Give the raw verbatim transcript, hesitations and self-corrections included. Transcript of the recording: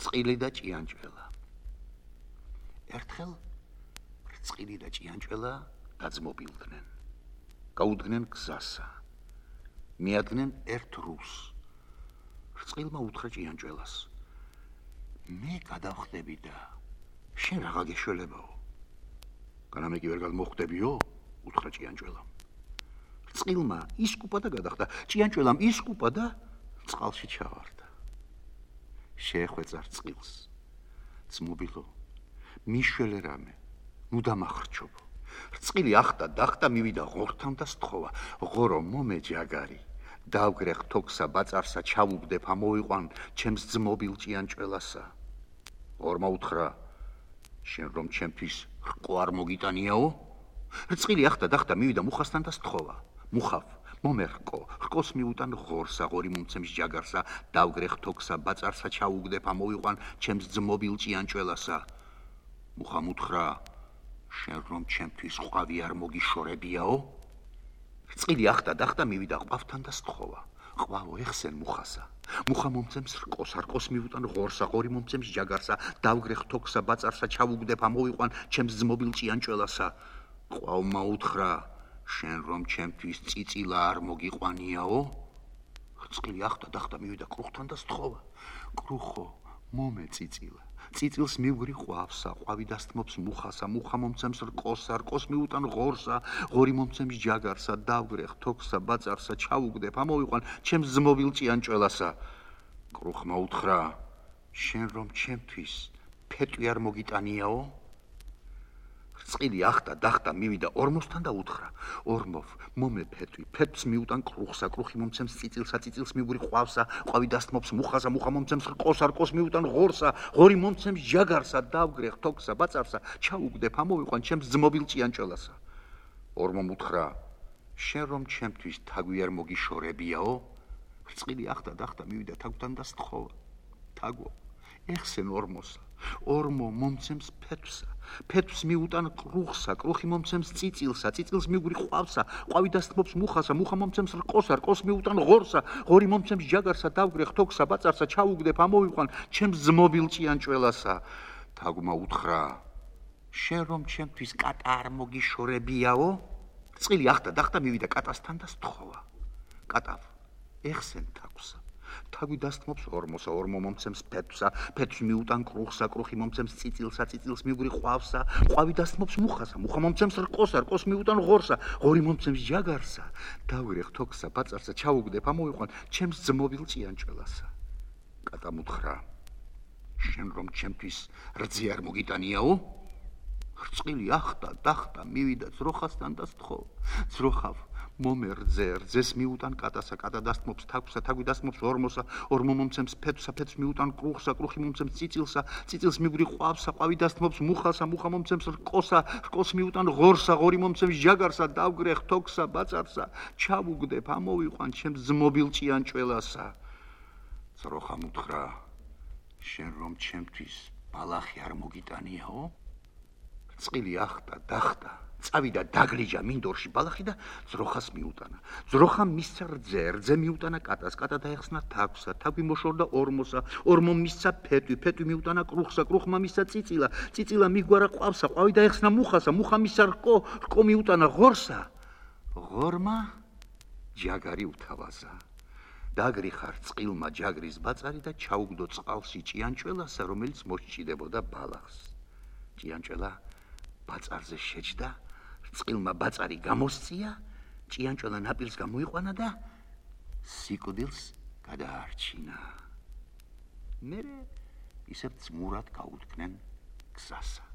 რწყილი და ჭიანჭველა. ერთხელ რწყილი და ჭიანჭველა დაძმობილდნენ. გაუდგნენ გზასა. მიადგნენ ერთ რუს. რწყილმა უთხრა ჭიანჭველას: მე გადავხდები და შენ რაღა გეშველებაო. განამე კი ვერ გადმოხვდებიო? უთხრა ჭიანჭველამ. რწყილმა ისკუპა და გადახდა. ჭიანჭველამ ისკუპა და წყალში ჩავარდა. შეეხვეწა რწყილს. ძმობილო, მიშველე რამე, ნუ დამახრჩობო. რწყილი ახტა დახტა მივიდა ღორთან და სთხოვა. ღორო მომე ჯაგარი, დავგრეხ თოქსა ბაწარსა ჩავუგდებ ამოვიყვან ჩემს ძმობილ ჭიანჭველასა. ღორმა უთხრა: შენ რომ ჩემთვის რყო არ მოგიტანიაო? რწყილი ახტა დახტა მივიდა მუხასთან და სთხოვა. მუხავ, მომერყო, რყოს მიუტან ღორსა, ღორი მომცემს ჯაგარსა, დავგრეხ თოქსა ბაწარსა ჩავუგდებ ამოვიყვან ჩემს ძმობილ ჭიანჭველასა. მუხამ უთხრა: შენ რომ ჩემთვის ყვავი არ მოგიშორებიაო? რწყილი ახტა დახტა მივიდა ყვავთან და სთხოვა. ყვავო, ეხსენ მუხასა. მუხა მომცემს რყოს, რყოს მიუტან ღორსა, ღორი მომცემს ჯაგარსა, დავგრეხ თოქსა ბაწარსა ჩავუგდებ ამოვიყვან ჩემს ძმობილ ჭიანჭველასა. ყვავმა უთხრა: შენ რომ ჩემთვის წიწილა არ მოგიყვანიაო? რწყილი ახტა დახტა მივიდა კრუხთან და სთხოვა. კრუხო, მომე წიწილა. წიწილს მივგრი ყვავსა, ყვავი დასთმობს მუხასა, მუხა მომცემს რყოსა, რყოს მიუტან ღორსა, ღორი მომცემს ჯაგარსა, დავგრეხ თოქსა ბაწარსა ჩავუგდებ ამოვიყვან ჩემს ძმობილ ჭიანჭველასა. კრუხმა უთხრა: შენ რომ ჩემთვის ფეტვი არ მოგიტანიაო? რწყილი ახტა დახტა მივიდა ორმოსთან და უთხრა: ორმოვ, მომე ფეტვი, ფეტვს მიუტან კრუხსა, კრუხი მომცემს წიწილსა, წიწილს მივგრი ყვავსა, ყვავი დასთმობს მუხასა, მუხა მომცემს რყოსა, რყოს მიუტან ღორსა, ღორი მომცემს ჯაგარსა, დავგრეხ თოქსა ბაწარსა ჩავუგდებ ამოვიყვან ჩემს ძმობილ ჭიანჭველასა. ორმომ უთხრა: შენ რომ ჩემთვის თაგვი არ მოგიშორებიაო? რწყილი ახტა დახტა მივიდა თაგვთან და სთხოვა. თაგვო, ეხსენ ორმოსა. ორმო მომცემს ფეთვსა, ფეთვს მიუტან კრუხსა, კრუხი მომცემს წიწილსა, წიწილს მივგრი ყვავსა, ყვავი დასთმობს მუხასა, მუხა მომცემს რყოსა, რყოს მიუტან ღორსა, ღორი მომცემს ჯაგარსა, დავგრეხ თოქსა ბაწარსა ჩავუგდებ ამოვიყვან ჩემს ძმობილ ჭიანჭველასა. თაგვმა უთხრა: შენ რომ ჩემთვის კატა არ მოგიშორებიაო? რწყილი ახტა დახტა მივიდა კატასთან და სთხოვა. კატავ, ეხსენ თაგვსა. თაგვი დასთმობს ორმოსა, ორმო მომცემს ფეთვსა, ფეთვს მიუტან კრუხსა, კრუხი მომცემს წიწილსა, წიწილს მივგრი ყვავსა, ყვავი დასთმობს მუხასა, მუხა მომცემს რყოსა, რყოს მიუტან ღორსა, ღორი მომცემს ჯაგარსა, დავგრეხ თოქსა ბაწარსა ჩავუგდებ ამოვიყვან ჩემს ძმობილ ჭიანჭველასა. კატამ უთხრა: შენ რომ ჩემთვის რძე არ მოგიტანიაო? რწყილი ახტა დახტა მივიდა ძროხასთან და სთხოვა. ძროხავ, მომე რძე, რძეს მიუტან კატასა, კატა დასთმობს თაგვსა, თაგვი დასთმობს ორმოსა, ორმო მომცემს ფეთვსა, ფეთვს მიუტან კრუხსა, კრუხი მომცემს წიწილსა, წიწილს მივგრი ყვავსა, ყვავი დასთმობს მუხასა, მუხა მომცემს რყოსა, რყოს მიუტან ღორსა, ღორი მომცემს ჯაგარსა, დავგრეხ თოქსა ბაწარსა ჩავუგდებ ამოვიყვან ჩემს ძმობილ ჭიანჭველასა. ძროხამ უთხრა: შენ რომ ჩემთვის ბალახი არ მოგიტანიაო? რწყილი ახტა დახტა წავიდა დაგლიჯა მინდორში ბალახი და ძროხას მიუტანა. ძროხამ მისცა რძე, რძე მიუტანა კატას, კატა დაეხსნა თაგვსა, თაგვი მოშორდა ორმოსა, ორმომ მისცა ფეტვი, ფეტვი მიუტანა კრუხსა, კრუხმა მისცა წიწილა, წიწილა მიგვარა ყვავსა, ყვავი დაეხსნა მუხასა, მუხა მისცა რყო, რყო მიუტანა ღორსა. ღორმა ჯაგარი უთავაზა. დაგრიხა რწყილმა ჯაგრის ბაწარი და ჩაუგდო წყალში ჭიანჭველასა, რომელიც მოსჭიდებოდა ბალახს. ჭიანჭველა ბაწარზე შეჯდა, რწყილმა ბაწარი გამოსწია, ჭიანჭველა ნაპირს გამოიყვანა და სიკვდილს გადაარჩინა. მერე ისევ ძმურად გაუდგნენ გზასა.